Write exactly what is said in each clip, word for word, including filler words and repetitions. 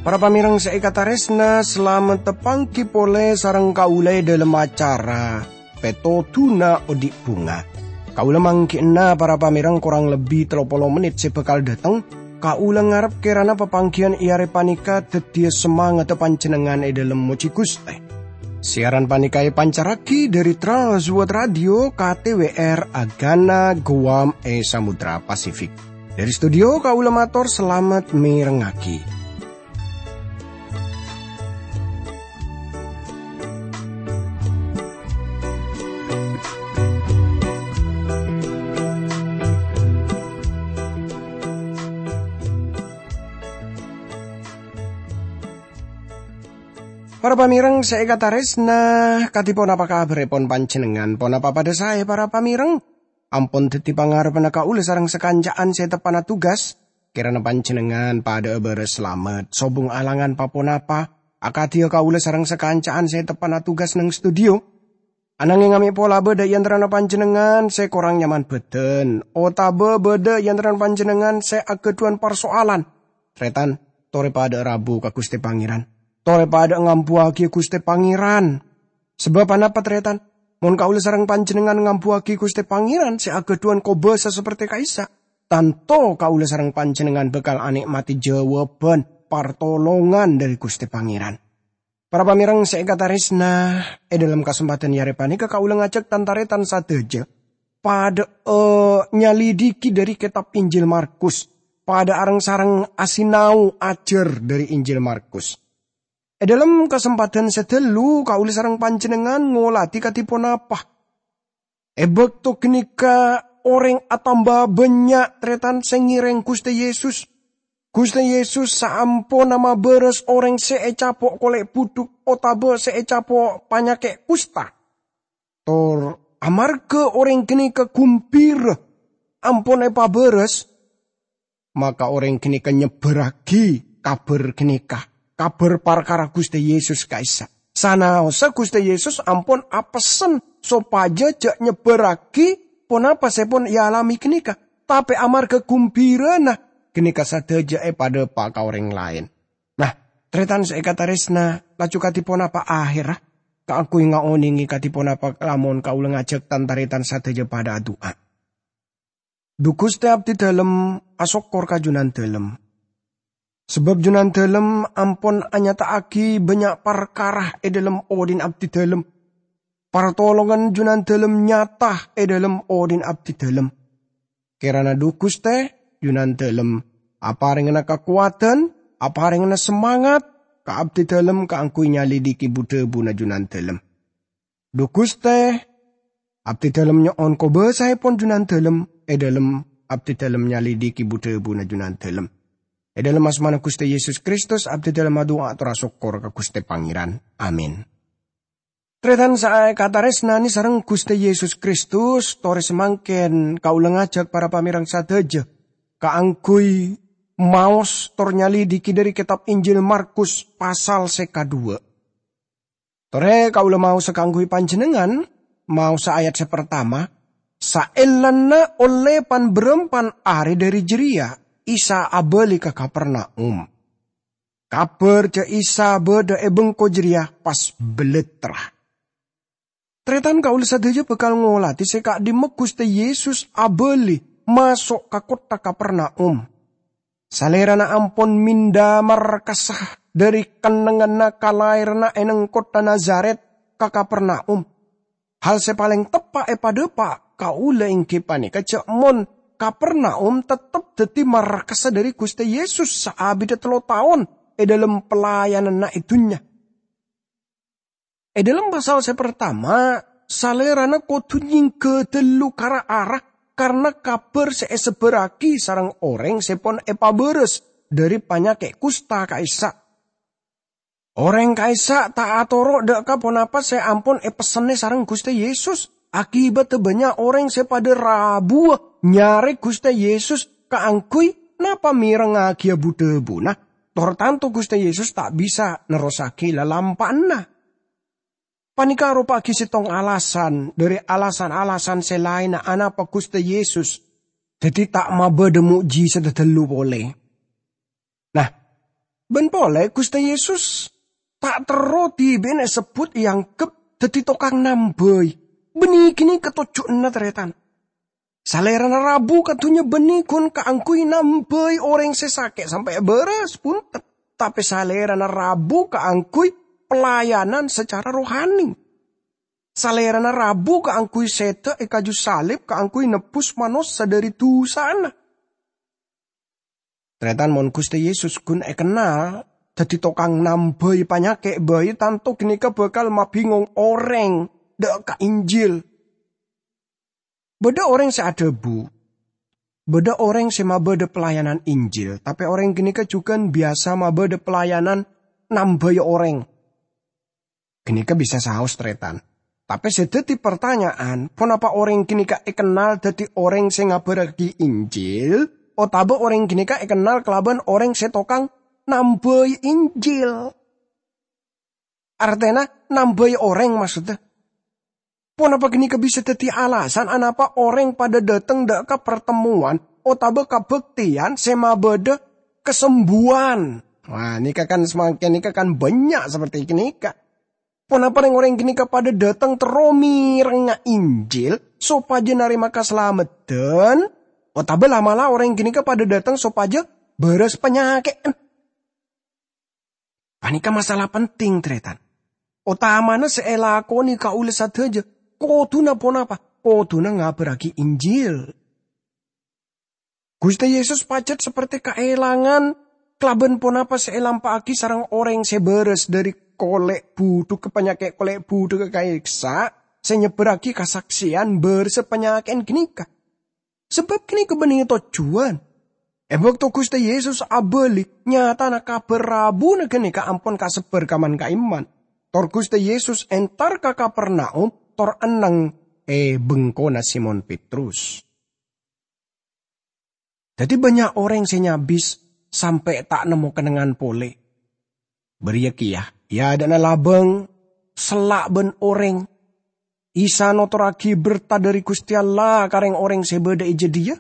Para pamèrèng sè èkatarèsna, salamet tapangghi polè sareng kaulâ è dhâlem acara Pètodhuna Odi' Bhunga. Kaulâ mangghi'na para pamèrèng korang lebbi tello polo mennit sè bhâkal dâteng. Kaulâ ngarep kèrana papangghiyân è arè panèka dhâddhiyâ samangatta panjhennengngan è dhâlem mojhi Ghustè. Siaran panèka èpancarraghi dhâri Trans World Radio K T W R Agana Guam è Samudra Pasifik. Dhâri studio kaulâ mator salamet mèrengngaghi. Para pamèrèng sè èkatarèsna, kadhi ponapa kabhârèpon panjhennengngan? Ponapa padhâ saè, para pamèrèng? Ampon dhâddhi pangarebbhânna kaulâ sareng sakanca'an sè teppa'na tugas. Kèrana panjhennengngan padhâ'â bârâs salamet, sobung alangan pa-ponapa, akadhiyâ kaulâ sareng sakanca'an sè teppa'na tugas neng studio. Anangèng amè' pola bâdâ è antarana panjhennengngan sè korang nyaman bhâdhân, otabâ bâdâ è antarana panjhennengngan sè aghâdhuwân parsoalan. Tarètan, torè padhâ'â rabu ka Ghustè Pangèran. Torè padhâ'â ngambuwâghi Ghustè Pangèran. Sabâb anapa, tarètan? Mon kaulâ sareng panjhennengngan ngambuwâghi Ghustè Pangèran sè aghâdhuwân kobâsa saperte ka'issa', tanto kaulâ sareng panjhennengngan bhâkal anè'mati jhâwâbhân partolongan dhâri Ghustè Pangèran. Para pamèrèng sè èkatarèsna, è dhâlem kasempadhân è arè panèka kaulâ ngajhâk tan-tarètan sadhâjâ padhâ'â nyalidiki dhâri kètab Injil Markus, padhâ areng-sareng asinau ajhâr dhâri Injil Markus. È dhâlem kasempadhân sè ghâllu, kaulâ sareng panjhennengngan ngolatè kadhi ponapa. È bâkto ghânèka orèng atamba bânnya' tarètan sè ngèrèng Ghustè Yesus. Ghustè Yesus saamponna mabârâs orèng sè ècapo' kolè' budhuk otabâ sè ècapo' panyakè' kusta. Tor amarghâ orèng ghânèka gumbhira ampon èpabârâs, maka orèng ghânèka nyebbhârraghi kabhâr ghânèka, kabhâr parkara Ghustè Yesus ka'issa'. Sanaossa Ghustè Yesus ampon apessen sopajâ jhâ' nyebbhârraghi ponapa sè pon èalamè ghânèka, tapè amarghâ gumbhirana ghânèka sadhâjâ èpadhâpa' ka orèng laèn. Nah, tarètan sè èkatarèsna, laju kadhi ponapa ahèrra? Kaangghuy ngaonèngè kadhi ponapa lamon kaulâ ngajhâk tan-tarètan sadhâjâ padhâ adu'a. Dhu Ghustè, abdhi dhâlem asokkor ka Jhunandhâlem. Sabâb Jhunandhâlem ampon anyata'aghi bânnya' parkara è dhâlem odhi'na abdhi dhâlem. Partolongan Jhunandhâlem nyata è dhâlem odhi'na abdhi dhâlem. Kèrana dhu Ghustè, Jhunandhâlem aparèngana kakowadhân, aparèngana samangat ka abdhi dhâlem kaangghuy nyalidiki bu-dhâbuna Jhunandhâlem. Dhu Ghustè, abdhi dhâlem nyo'on kobâsaèpon Jhunandhâlem, è dhâlem abdhi dhâlem nyalidiki bu-dhâbuna Jhunandhâlem. È dhâlem asmana Ghustè Yesus Kristus, abdhi dhâlem adu'a ator asokkor ka Ghustè Pangèran. Amin. Tarètan sè èkatarèsnanè sareng Ghustè Yesus Kristus, torè samangkèn kaulâ ngajhâk para pamèrèng sadhâjâ kaangghuy maos tor nyalidiki dhâri kètab Injil Markus pasal sè kadhuwâ'. Torè kaulâ maosa kaangghuy panjhennengngan, maosa ayat sè partama, "Saellana ollè pan-bârâmpan arè dhâri jârèya, Isa abâli ka Kapernaum." Kabhâr jhâ' Isa bâdâ è bengko jârèya pas bellittra. Tarètan kaulâ sadhâjâ bhâkal ngolatè sè ka'dimma Ghustè Yesus abâli maso' ka kottha Kapernaum. Salèrana ampon minda markassa dhâri kennengnganna kalaèranna è neng kottha Nazaret ka Kapernaum. Hal sè palèng teppa' èpadhâpa' kaulâ èngghi panèka jhâ' mon Kapernaum teptep dhâddhi markassa dhâri Ghustè Yesus saabidda tello taon è dhâlem pelayananna è dhunnya. È dhâlem pasal sè partama, Salèrana kodhu nyèngghâ dhâllu ka ra-ara karna kabhâr sè èsebbhârraghi sareng orèng sè pon èpabârâs dhâri panyakè' kusta ka'issa'. Orèng ka'issa' ta' atoro' dhâ' ka ponapa sè ampon èpessennè sareng Ghustè Yesus. Akibaddhâ bânnya' orèng sè padâ rabuwâ nyarè Ghustè Yesus kaangghuy napa mèrengngaghi bu-dhâbuna. Tor tanto Guste Yesus ta' bisa nerrossagi lalampa'anna. Paneka aropa'agi settong alasan dhari alasan-alasan se laenna anapa Guste Yesus daddi ta' mabadha mo'jizat dhadhellu pole. Nah, ban pole Guste Yesus ta' terro dibi'na esebbut eanggep daddi tokang nambai. Banne ghini katojjuanna, taretan. Salerana rabu ka dunnya banne gun kaangguy nambai oreng se sake sampe' baras, bunten. Tape Salerana rabu kaangguy pelayanan secara rohani. Salerana rabu kaangguy seda e kaju salib kaangguy nebbus manossa dhari dusana. Taretan, mon Guste Yesus gun ekennal daddi tokang nambai panyake bai, tanto ganeka bakal mabingong oreng dha' ka Injil. Badha oreng se adhabu, badha oreng se mabadha pelayanan Injil, tape oreng ganeka jugan biyasa mabadha pelayanan nambai oreng. Ganeka bisa saos, taretan. Tape se daddi partanya'an, ponapa oreng ganeka ekennal daddi oreng se ngabarragi Injil, otaba oreng ganeka ekennal kalaban oreng se tokang nambai Injil? Artena nambai oreng, maksodda. Ponapa ganeka bisa daddi alasan anapa oreng padha dhateng dha' ka partemmowan otaba kabakteyan se mabadha kasembuwan? Wah, neka kan samangken neka kan bannya' saperti ganeka. Ponapa reng-oreng ganeka padha dhateng terro merengnga Injil sopaja narema kasalameddan, otaba la'-mala' oreng ganeka padha dhateng sopaja baras panyake'en? Paneka masalah penting, taretan. Otamana se elakone kaula sadaja, koduna ponapa? Koduna ngabarragi Injil. Guste Yesus pajat saperte kaelangan kalaban ponapa se elampa'agi sareng oreng se baras dhari kole' budhuk ka panyake kole' budhuk ka ka'issa' se nyebbarragi kasakseyan barasa panyake'en ganeka. Sabab ganeka banne tojjuwan. E bakto Guste Yesus abali, nyatana kabar rabuna ganeka ampon kasebbar ka man-ka'imman. Tor Guste Yesus entar ka Kapernaum, tor enneng e bengkona Simon Petrus. Daddi bannya' oreng se nyabis sampe' ta' nemmo kennengngan pole. Bariya keya, e adha'na labang, sella' ban oreng, Isa notorragi berta dhari Guste Allah ka reng-oreng se badha e jadhiya.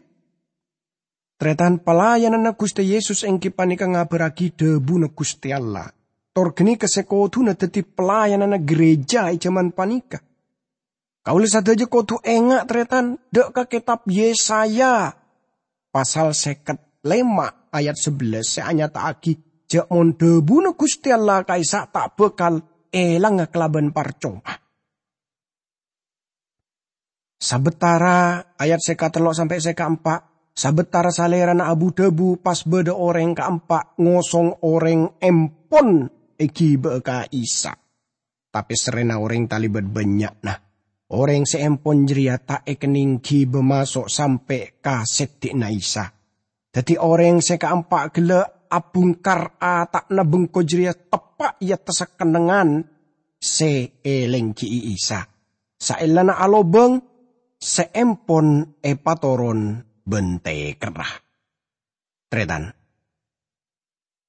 Taretan, pelayananna Guste Yesus enggi paneka ngabarragi dhabuna Guste Allah. Tor ganeka se koduna daddi pelayananna gereja e jaman paneka. Kaula sadaja kodu enga', taretan, dha' ka ketab Yesaya pasal seket lema ayat sabellas se anyata'agi ja' mon dhabuna Guste Allah ka'issa' ta' bakal elangnga kalaban parcoma. Sabatara, ayat se katello sampe' se kaempa', sabatara Salerana abu-dhabu, pas badha oreng kaempa' ngosong oreng empon egiba'a ka Isa. Tape serrena oreng talebat bannya'na. Oreng se empon jareya ta' ekenneng giba maso' sampe' ka seddi'na Isa. Daddi oreng se kaempa' gella' abungkar ata'na bengko jareya teppa' e attassa kennengngan se elenggi'i Isa. Saellana alobang, se empon epatoron ban tekerra. Taretan.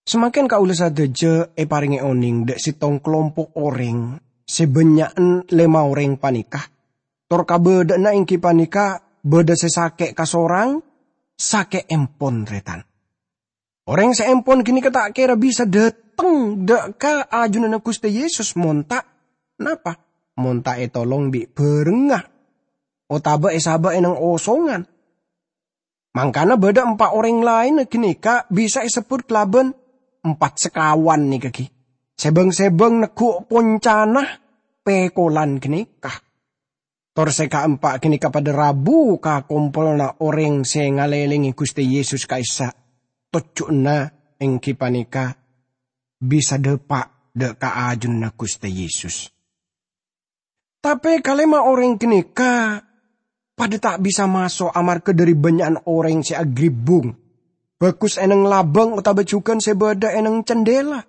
Samangken kaula sadaja eparenge oneng dha' settong kalompo' oreng se bannya'an lema oreng paneka. Tor kabadha'anna enggi paneka badha se sake' kasorang, sake' empon, taretan. Oreng se empon ganeka ta' kera bisa dhateng dha' ka ajunanna Guste Yesus mon ta', napa? Mon ta' etolong bi' barengnga, otaba esaba' eneng osongan. Mangkana badha empa' oreng laenna ganeka bisa esebbut kalaban empat sekawan neka gi. Sebang-sebang neggu' poncana pekolan ganeka. Tor se kaempa' ganeka padha rabu ka kompolanna oreng se ngalelengnge Guste Yesus ka'issa'. Tojjuwanna enggi paneka bisa dapa' dha' ka ajunanna Guste Yesus. Tape kalema oreng ganeka padha ta' bisa maso' amarga dhari bannya'an oreng se agribbung, bagus eneng labang otaba jugan se badha eneng candela.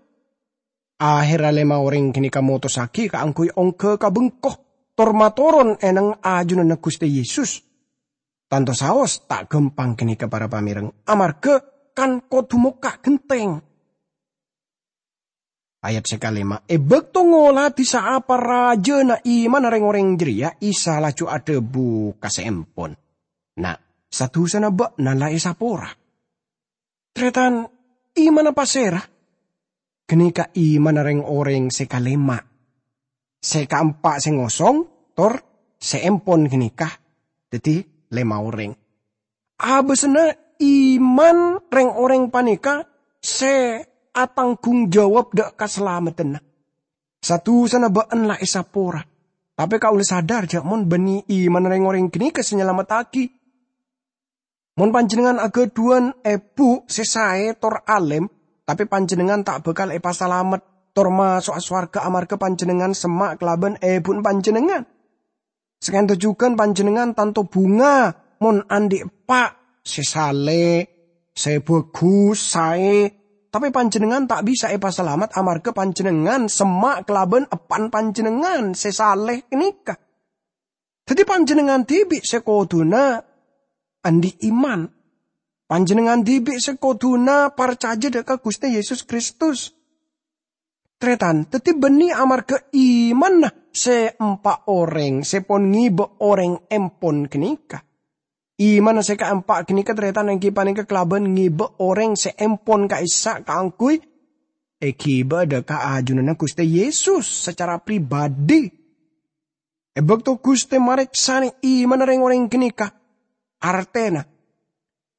Aherra lema oreng ganeka motossagi kaangguy ongga ka bengko, tor matoron eneng ajunanna Guste Yesus. Tanto saos ta' gampang ganeka para pamereng, amarga kan kodu mokka' genteng. Ayat sè kalèma', è bâkto ngoladhi saapa rajâna imanna rèng-orèng jârèya, Isa laju adhâbu ka sè empon, "Na', sa-dusana bâ'na la èsapora." Tarètan, imanna pasèra? Ghânèka imanna rèng-orèng sè kalèma'. Sè kaempa' sè ngosong, tor sè empon ghânèka. Dhâddhi lèma orèng. Abâsana iman rèng-orèng panèka sè atanggung jawab dâ' kasalameddhânna. Sa-dusana bâ'na la èsapora. Tapè kaulâ sadar jâ' mon bânnè iman rèng-orèng ghânèka sè nyalamettaghi. Mon panjhennengngan aghâdhuwân èbhu sè saè tor alèm, tapè panjhennengngan ta' bhâkal èpasalamet tor maso'a sowarghâ amarghâ panjhennengngan semma' kalabân èbhuna panjhennengngan. Sakènto jhughân panjhennengngan tanto bhunga mon andi' eppa' sè salè, sè bhâghus, saè, tapè panjhennengngan ta' bisa èpasalamet amarghâ panjhennengngan semma' kalabân eppa'na panjhennengngan sè salè ghânèka. Dhâddhi panjhennengngan dhibi' sè kodhuna andi' iman. Panjhennengngan dhibi' sè kodhuna parcajâ dâ' ka Ghustè Yesus Kristus. Tarètan, dhâddhi bânnè amarghâ imanna sè empa' orèng sè pon ngibâ orèng empon ghânèka. Imanna sè kaempa' ghânèka, tarètan, èngghi panèka kalabân ngibâ orèng sè empon ka'issa' kaangghuy èghibâ dâ' ka ajunanna Ghustè Yesus sacara pribadhi. È bâkto Ghustè marèksanè imanna rèng-orèng ghânèka, artèna,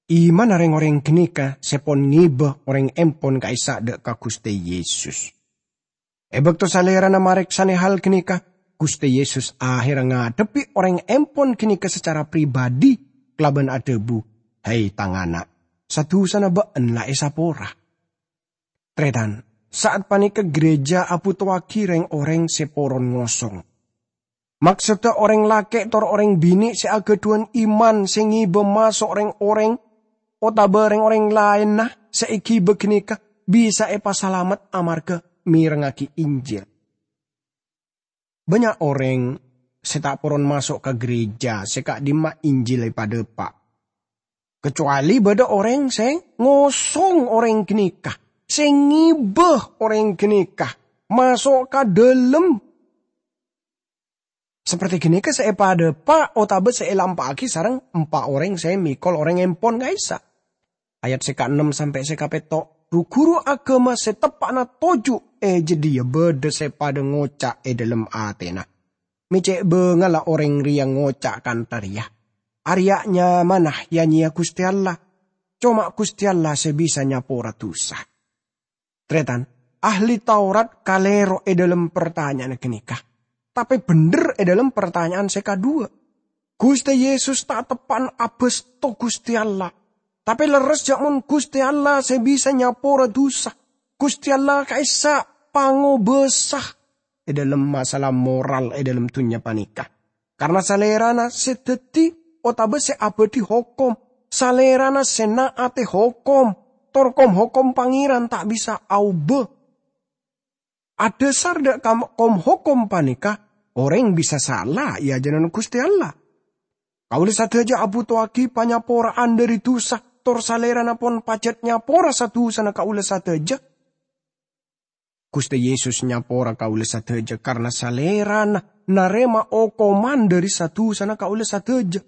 imanna rèng-orèng ghânèka sè pon ngibâ orèng empon ka'issa' dâ' ka Ghustè Yesus. È bâkto Salèrana marèksanè hal ghânèka, Ghustè Yesus ahèrra ngadhebbhi orèng empon ghânèka sacara pribadhi kalabân adhâbu, "Hai, tang ana', sa-dusana bâ'na la èsapora." Tarètan, sa'at panèka ghârèjâ abhutowaghi rèng-orèng sè poron ngosong. Maksodda orèng lakè' tor orèng binè' sè aghâdhuwân iman sè ngibâ maso' rèng-orèng otabâ rèng-orèng laènna sè èghibâ ghânèka bisa èpasalamet amarghâ mèrengngaghi Injil. Bânnya' orèng sè ta' poron maso' ka ghârèjâ sè ka'dimma Injil èpadhâpa'. Kacowalè bâdâ orèng sè ngosong orèng ghânèka, sè ngibâ orèng ghânèka maso' ka dhâlem. Saperti ghânèka sè èpadhâpa' otabâ sè èlampa'aghi sareng empa' orèng sè mèkol orèng empon ka'issa'. Ayat sè kaennem sampè' sè kapètto', ru-ghuru aghâma sè teppa'na toju' è jâdiyâ bâdâ sè padâ ngoca' è dhâlem atèna, "Mè' cè' bângal la orèng rèya ngoca' kantha rèya, 'Arèya nyamana ya-nyèya Ghustè Allah. Coma Ghustè Allah sè bisa nyapora dusa.'" Tarètan, ahli Taurat kalèro è dhâlem partanya'anna ghânèka, tapè bhendher è dhâlem partanya'an sè kaduwâ'. Ghustè Yesus ta' teppa'na abâsto Ghustè Allah, tapè lerres jâ' mon Ghustè Allah sè bisa nyapora dusa. Ghustè Allah ka'issa' pangobâsa è dhâlem masalah moral è dhâlem dhunnya panèka. Karna Salèrana sè dhâddhi otabâ sè abâdhi hokom, Salèrana sè na'atè hokom, tor kom-hokom Pangèran ta' bisa aobâ. Adhâsar dâ' kam-, kom-hokom panèka, orèng bisa sala è ajunanna Ghustè Allah. Kaulâ sadhâjâ abhutowaghi panyapora'an dhâri dusa, tor Salèrana pon pajhât nyapora sa-dusana kaulâ sadhâjâ. Ghustè Yesus nyapora kaulâ sadhâjâ karna Salèrana narèma okoman dhâri sa-dusana kaulâ sadhâjâ.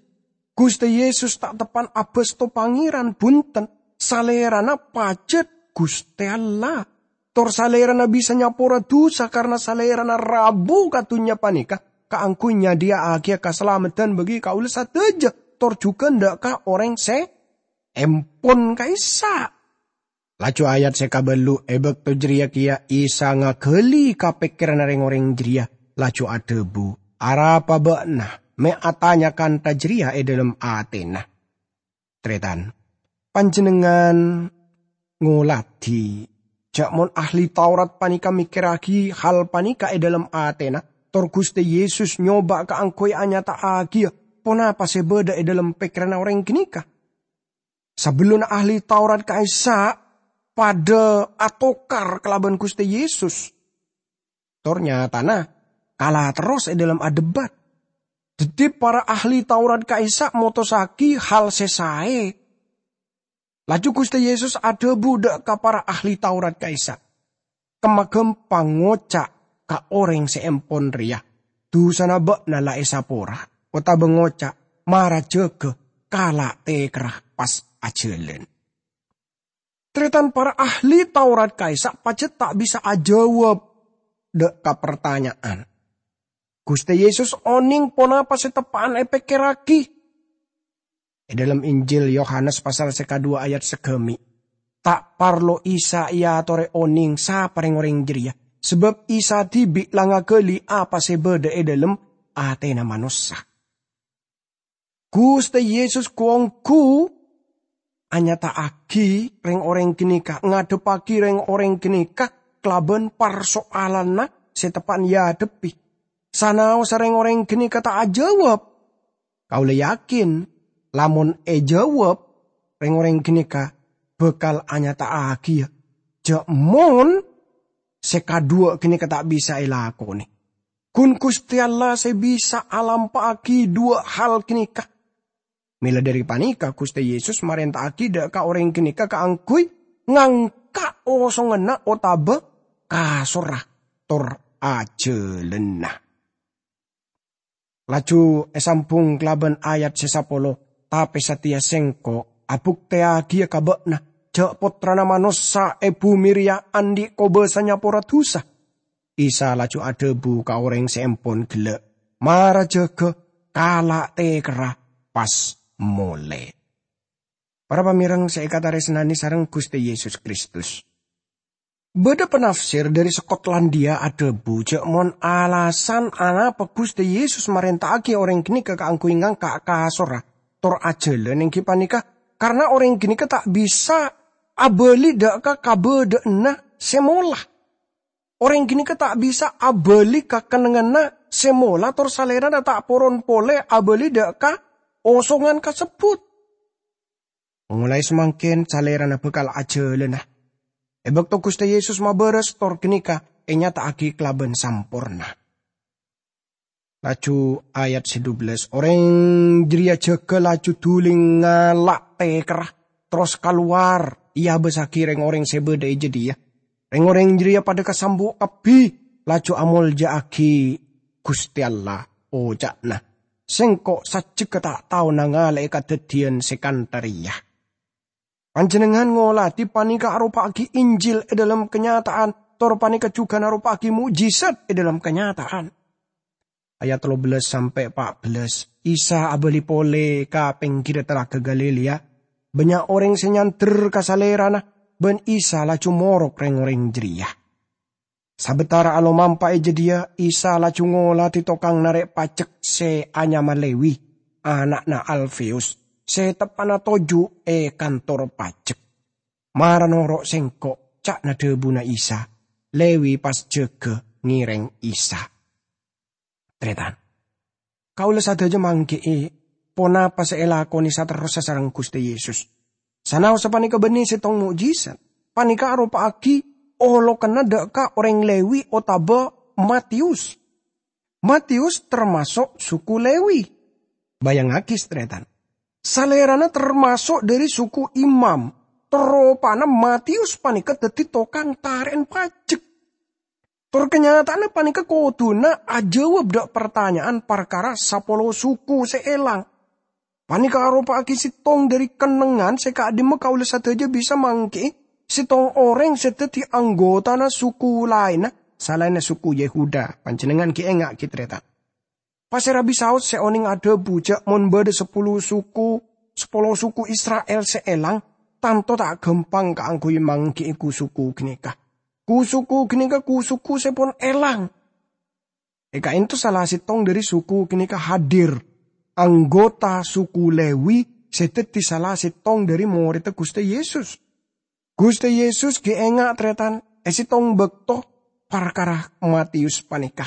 Ghustè Yesus ta' teppa'na abâsto Pangèran, bhunten, Salèrana pajhât Ghustè Allah. Tor Salèrana bisa nyapora dusa karna Salèrana rabu ka dhunnya panèka kaangghuy nyadhiyâ'aghiyâ kasalameddhân bagi kaulâ sadhâjâ, tor jhughân dâ' ka orèng sè empon ka'issa'. Laju ayat sè kabâllu', è bâkto jârèya kèya Isa ngaghâli ka pèkkèranna rèng-orèng jârèya, laju adhâbu, "Arapa bâ'na mè' atanya kantha jârèya è dhâlem atèna?" Tarètan, panjhennengngan ngoladhi jâ' mon ahli Taurat panèka mèkkèrraghi hal panèka è dhâlem atèna, tor Ghustè Yesus nyoba kaangghuy anyata'aghiyâ ponapa sè bâdâ è dhâlem pèkkèranna orèng ghânèka. Sabellunna ahli Taurat ka'issa' padâ atokar kalabân Ghustè Yesus. Tor nyatana, kala terros è dhâlem adebat. Dhâddhi, para ahli Taurat ka'issa' motossaghi hal sè saè. Laju Ghustè Yesus adhâbu dâ' ka para ahli Taurat ka'issa', Kemma ghâmpang ngoca' ka orèng sè empon rèya, "Dusana bâ'na la èsapora," otabâ ngoca', "Mara jâgâ, kala' tèkerra pas ajhâlân." Tarètan, para ahli Taurat ka'issa' pajhât ta' bisa ajâwâb dâ' ka partanya'an. Ghustè Yesus onèng ponapa sè teppa'an èpèkkèrraghi. È dhâlem Injil Yohanes pasal sè kadhuwâ ayat sagâmè', ta' parlo Isa èatorè onèng sapa rèng-orèng jârèya, sabâb Isa dhibi' la ngaghâli apa sè bâdâ è dhâlem atèna manossa. Ghustè Yesus ghu-ongghu anyata'aghi rèng-orèng ghânèka, ngadhebbhâghi rèng-orèng ghânèka kalabân parsoalanna sè teppa'an èadhebbhi. Sanaossa rèng-orèng ghânèka ta' ajâwâb, kaulâ yakin, lamon èjâwâb, rèng-orèng ghânèka bhâkal anyata'aghiyâ jâ' mon sè kadhuwâ' ghânèka ta' bisa èlakonè. Ghun Ghustè Allah sè bisa alampa'aghi dhuwâ' hal ghânèka. Mèla dhâri panèka, Ghustè Yesus marènta'aghi dâ' ka orèng ghânèka kaangghuy ngangka' osonganna otabâ kasorra tor ajhâlânna. Laju èsambhung kalabân ayat sè sapolo, "Tapè satèya Sèngko' abhuktèyaghiyâ ka bâ'na jâ' Pottrana Manossa è bhumè rèya andi' kobâsa nyapora dhusa." Isa laju adhâbu ka orèng sè empon ghellâ', "Mara jâgâ, kala' tèkerra pas molè." Para pamèreng sè èkatarèsnanè sareng Ghustè Yesus Kristus. Bâdâ panafsir dhâri Skotlandia adhâbu jâ' mon alasan anapa Ghustè Yesus marènta'aghi orèng ghânèka kaangghuy ngangka' kasorra tor ajhâlân èngghi panèka karna orèng ghânèka ta' bisa abâli dâ' ka kabâdâ'ânna sè mola. Orèng ghânèka ta' bisa abâli ka kennengnganna sè mola tor salèrana ta' poron polè abâli dâ' ka osongan kasebbhut. Molaè samangkèn salèrana bhâkal ajhâlâna. È bâkto Ghustè Yesus mabârâs tor ghânèka ènyata'aghi kalabân samporna. Laju ayat sè dubellâs, orèng jârèya jâgâ laju dhuli ngala' tèkerra, terros kalowar èabâssaghi rèng-orèng sè bâdâ è jâdiyâ. Rèng-orèng jârèya padâ kasambu' kabbhi, laju amolja'aghi Ghustè Allah, oca'na, "Sèngko' sajjhegghâ ta' tao nangala'è kadhâddhiyân sè kantha rèya." Panjhennengngan ngolatè panèka aropa'aghi Injil è dhâlem kanyata'an, tor panèka jhughân aropa'aghi mo'jizat è dhâlem kanyata'an. Ayat tello bellâs sampè' pa' bellâs, Isa abâli polè ka pèngghirra Talaga Galilea. Bânnya' orèng sè nyandher ka Salèrana, bân Isa laju morok rèng-orèng jârèya. Sabâtara alomampa è jâdiyâ, Isa laju ngolatè tokang narè' pajek sè anyama Lewi, ana'na Alfeus, sè teppa'na toju' è kantor pajek. "Mara noro' Sèngko'," ca'na dhâbuna Isa. Lewi pas jâgâ ngèrèng Isa. Tarètan. Kaulâ sadhâjâ mangghi'i ponapa sè èlakonè saterrossa sareng Ghustè Yesus. Sanaossa panèka bânnè sèttong mo'jizat. Panèka aropa'aghi olokanna dâ' ka orèng Lewi otabâ Matius. Matius tamaso' suku Lewi. Bâjângaghi, tarètan. Salèrana tamaso' dhâri suku imam. Tor ropana Matius panèka dhâddhi tokang tarè'an pajek. Tor kanyata'anna panèka kodhuna ajâwâb dâ' partanya'an parkara sapolo suku sè èlang. Panèka aropa'aghi sèttong dhâri kennengngan sè ka'dimma kaulâ sadhâjâ bisa mangghi'i sèttong orèng sè dhâddhi anggotana suku laènna salaènna suku Yehuda. Panjhennengngan ghi' enga' ghi' tarètan. Pasèra bisaos sè onèng adhâbu jâ' mon bâdâ sapolo suku, sapolo suku Isra'il sè èlang, tanto ta' ghâmpang kaangghuy mangghi'i ku-suku ghânèka. Ku-suku ghânèka ku-suku sè pon èlang. È ka'ènto sala sèttong dhâri suku ghânèka hadir, anggota suku Lewi sè dhâddhi sala sèttong dhâri morèdda Ghustè Yesus. Ghustè Yesus ghi' enga' tarètan è sèttong bâkto parkara Matius panèka.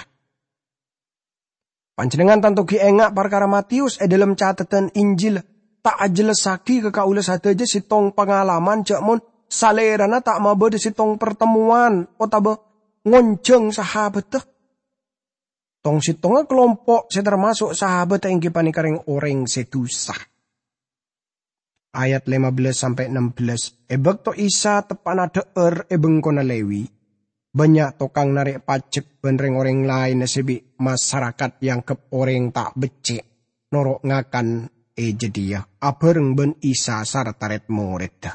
Panjhennengngan tanto ghi' enga' parkara Matius è dhâlem Catetan Injil ta' ajhellasaghi ka kaulâ sadhâjâ sèttong pangalaman jâ' mon Salèrana ta' mabâdâ sèttong partemmowan otabâ ngonjhâng sahabhâddhâ. Tong-sèttongnga kalompo' sè tamaso' sahabhâddhâ èngghi panèka rèng-orèng sè dhusa. Ayat lèma bellâs sampè' ennem bellâs, è bâkto Isa teppa'na dhâ'âr è bengkona Lewi, Bannya' tokang narè' pajek bân rèng-orèng laènna sè bi' masarakat èangghep orèng ta' beccè' noro' ngakan è jâdiyâ abhâreng bân Isa sarta rèd-morèdda.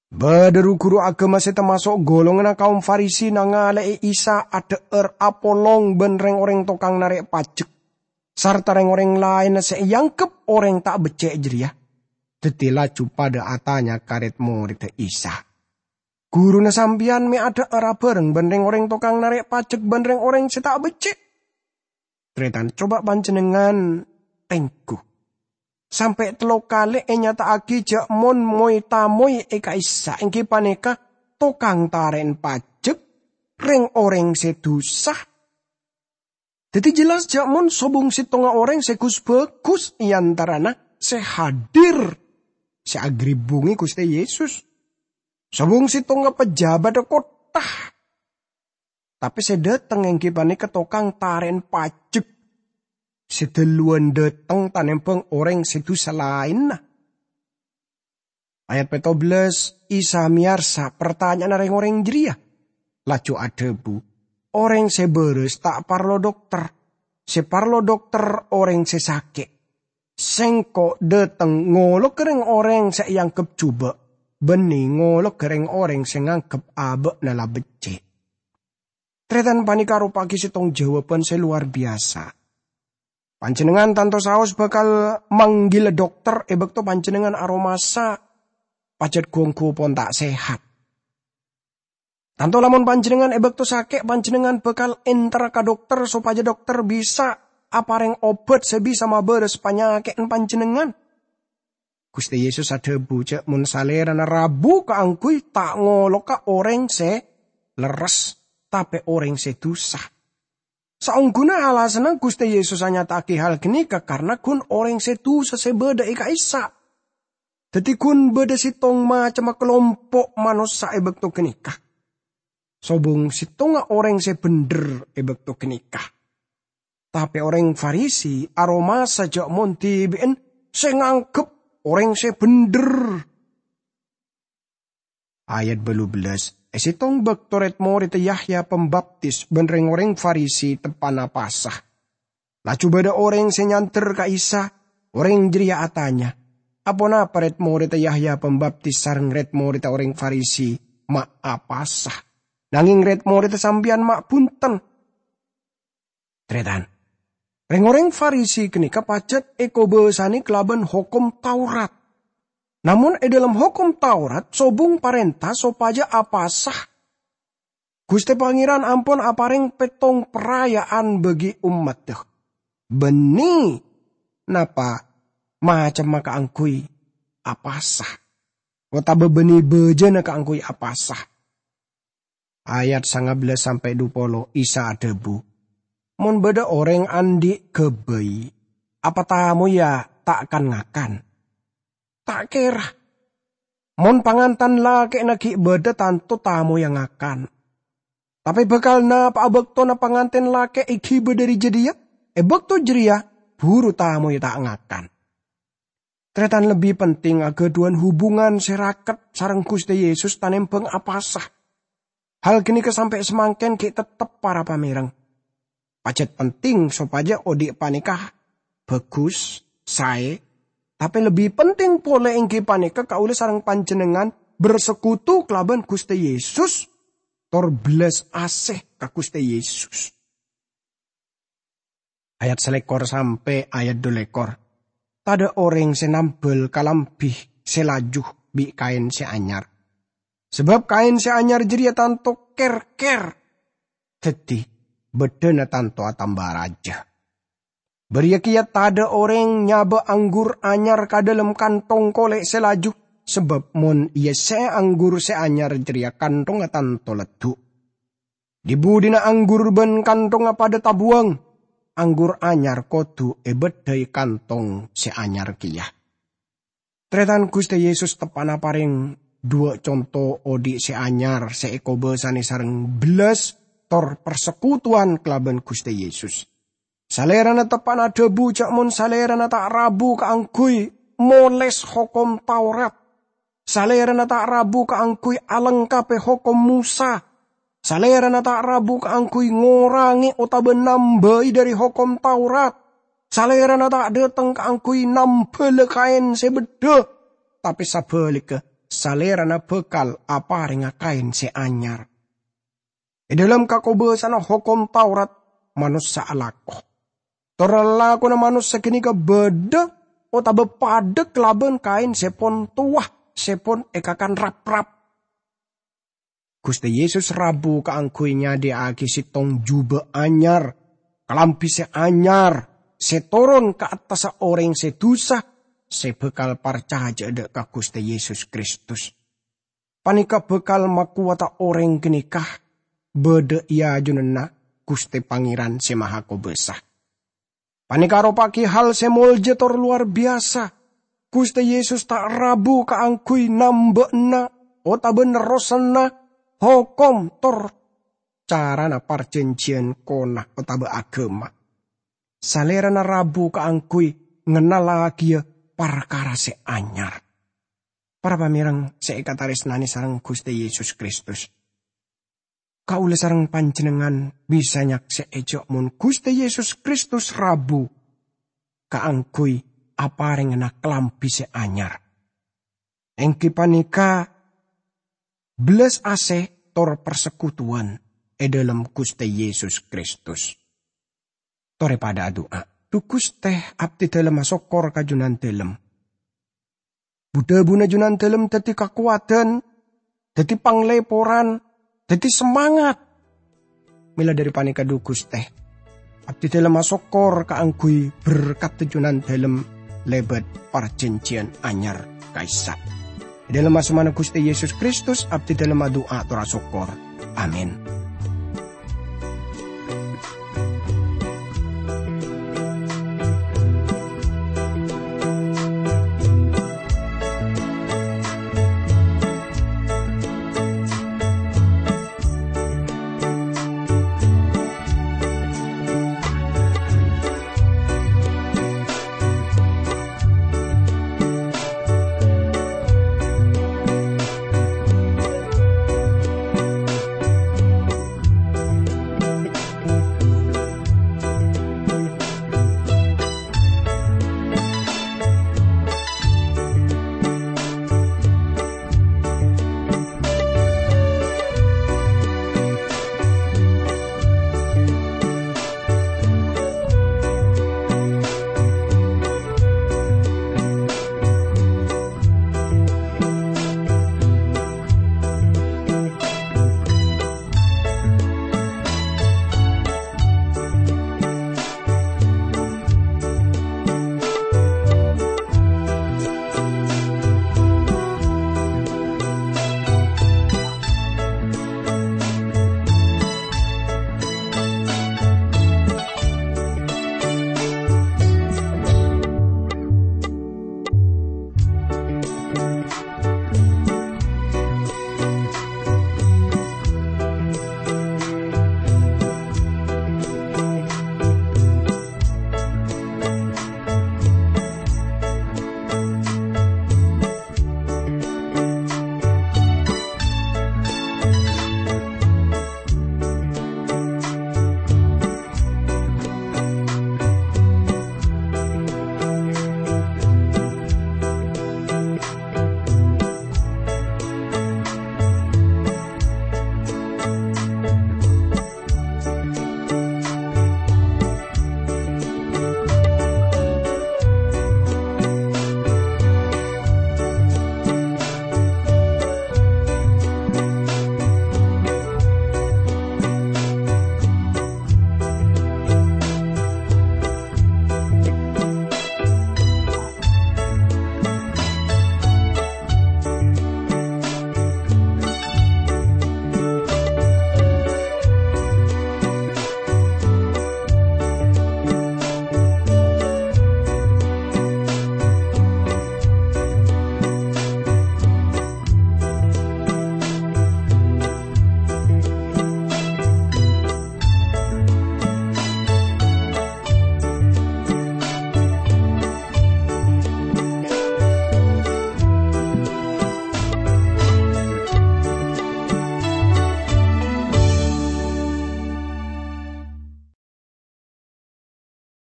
Bâdâ ru-ghuru aghâma sè tamaso' golonganna kaum Farisi nangalè'è Isa adhâ'âr apolong bân rèng-orèng tokang narè' pajek sarta rèng-orèng laènna sè èangghep orèng ta' beccè' jârèya. Dhâddhi laju padâ atanya ka rèd-morèdda Isa, "Ghuruna sampèyan mè' adhâ'âr abhâreng bân rèng-orèng tokang narè' pajek bân rèng-orèng sè ta' beccè'?" Tarètan, coba panjhennengngan tèngghu. Sampè' tello kalè ènyata'aghi jâ' mon moy-tamoy è ka'issa' ènggi panèka tokang tarè'na pajek, rèng-orèng sè dusa. Dhâddhi jelas jâ' mon sobung sèttongnga orèng sè gus-bhâgus è antarana sè hadir, sè aghâribbungè Ghustè Yesus. Sobung sèttongnga pejabadhâ kottha. Tapè sè dâteng ènggi panèka tokang tarè'na pajek. Sè dâluwân dâteng tanèmbhâng orèng sè dusa laènna. Ayat pètto bellâs, Isa mèyarsa partanya'anna rèng-orèng jârèya, laju adhâbu, "Orèng sè bârâs ta' parlo dokter. Sè parlo dokter orèng sè sakè'. Sèngko' dâteng ngologghâ rèng-orèng sè èangghep jhubâ', bânnè ngologghâ rèng-orèng sè nganggep abâ'na la beccè'." Tarètan, panèka aropa'aghi sèttong jâwâbhân sè lowar biyasa. Panjhennengngan tanto saos bhâkal manggil dokter è bâkto panjhennengngan aromasa pajhât ghu-ongghu pon ta' sehat. Tanto lamon panjhennengngan è bâkto sakè', panjhennengngan bhâkal ènterra ka dokter sopajâ dokter bisa aparèng obhât sè bisa mabârâs panyakè'na panjhennengngan. Ghustè Yesus adhâbu jâ' mon Salèrana rabu kaangghuy ta' ngologghâ orèng sè lerres, tapè orèng sè dusa. Saongghuna alasanna Ghustè Yesus anyata'aghi hal ghânèka karna ghun orèng sè dusa sè bâdâ è ka'issa'. Dhâddhi ghun bâdâ sèttong macemma kalompo' manossa è bâkto ghânèka. Sobung sèttongnga orèng sè bhendher è bâkto ghânèka. Tapè orèng Farisi aromasa jâ' mon dhibi'en sè nganggep orèng sè bhendher. Ayat bâllu bellâs, è sèttong bâkto rèd-morèdda Yahya Pambaptis bân rèng-orèng Farisi teppa'na Pasa. Laju bâdâ orèng sè nyander ka Isa. Orèng jârèya atanya, "Aponapa rèd-morèdda Yahya Pambaptis sareng rèd-morèdda orèng Farisi ma' apasa, nangèng rèd-morèdda sampèyan ma' bhunten?" Tarètan, rèng-orèng Farisi ghânèka pajhât èkobâsanè kalabân Hokom Taurat. Namong è dhâlem Hokom Taurat sobung parènta sopajâ apasa. Ghustè Pangèran ampon aparèng pèttong paraya'an bagi ommaddhâ. Bânnè napa macemma kaangghuy apasa, otabâ bânnè bâjâna kaangghuy apasa. Ayat sanga bellâs sampè' dupolo, Isa adhâbu, "Mon bâdâ orèng andi' ghâbây, apa tamoyya ta' kan-ngakan? Ta' kèra. Mon pangantan lakè'na ghi' bâdâ, tanto tamoyya ngakan. Tapè bhâkal napa'a bâktona pangantèn lakè' èghibâ dhâri jâdiyâ? È bâkto jârèya buru tamoyya ta' ngakan." Tarètan, lebbi penting aghâdhuwân hubungan sè raket sareng Ghustè Yesus tanèmbhâng apasa. Hal ghânèka sampè' samangkèn ghi' tettep para pamèreng. Pajhât penting sopajâ odi' panèka bhâghus, saè, tapè lebbi penting polè ènggi panèka kaulâ sareng panjhennengngan bersekutu kalabân Ghustè Yesus, tor bellas asè ka Ghustè Yesus. Ayat salèkor sampè' ayat dulèkor. Tadâ' orèng sè nambâl kalambhi sè laju bi' kaèn sè anyar. Sabâb kaèn sè anyar jârèya tanto kèr-kèr. Dhâddhi, bâddhâna tanto atamba rajâ. Bâriyâ kèya tadâ' orèng nyabâ anggur anyar ka dhâlem kanthong kolè' sè laju, sabâb mon èyessè'è anggur sè anyar jârèya kanthongnga tanto leddhu'. Di-budina anggur bân kanthongnga padâ tabuwâng, anggur anyar kodhu èbâddhâi kanthong sè anyar kèya. Tarètan, Ghustè Yesus teppa'na parèng duwâ' conto odi' sè anyar sè èkobâsanè sareng bellas tor parsekutuwan kalabân Ghustè Yesus. Salèrana teppa'na adhâbu jâ' mon Salèrana ta' rabu kaangghuy molès Hokom Taurat. Salèrana ta' rabu kaangghuy alengkabhi Hokom Mosa. Salèrana ta' rabu kaangghuy ngorangè otabâ nambâi dhâri Hokom Taurat. Salèrana ta' dâteng kaangghuy nambâlâ kaèn sè bâddhâ, tapè sabhâligghâ, Salèrana bhâkal aparènga kaèn sè anyar. È dhâlem kakobâsana Hokom Taurat, manossa alako. Tor lalakonna manossa ghânèka bâdâ otabâ padâ kalabân kaèn sè pon towa, sè pon èkakan rap-rap. Ghustè Yesus rabu kaangghuy nyadhiyâ'aghi sèttong jhubâ' anyar, kalambhi sè anyar, sè toron ka attassa orèng sè dusa, sè bhâkal parcajâ dâ' ka Ghustè Yesus Kristus. Panèka bhâkal makowata orèng ghânèka bâdâ è ajunanna Ghustè Pangèran Sè Mahakobâsa. Panèka aropa'aghi hal sè molja tor lowar biyasa. Ghustè Yesus ta' rabu kaangghuy nambâ'âna otabâ nerrosanna hokom tor carana parjhânjhiyân kona otabâ aghâma. Salèrana rabu kaangghuy ngennallaghiyâ parkara sè anyar. Para pamèreng sè èkatarèsnanè sareng Ghustè Yesus Kristus, kaulâ sareng panjhennengngan bisa nyaksè'è jhâ' mon Ghustè Yesus Kristus rabu kaangghuy aparèngana kalambhi sè anyar, èngghi panèka bellas asè tor parsekutuwan è dhâlem Ghustè Yesus Kristus. Torè padâ adu'a. Dhu Ghustè, abdhidhâlem asokkor ka Junandhâlem. Bu-dhâbuna Junandhâlem dhâddhi kakowadhân, dhâddhi panglèporan, dhâddhi samangat. Mèla dhâri panèka, dhu Ghustè, abdhidhâlem asokkor kaangghuy berkatta Junandhâlem lèbât parjhânjhiyân anyar ka'issa'. È dhâlem asmana Ghustè Yesus Kristus, abdhidhâlem adu'a tor asokkor. Amin.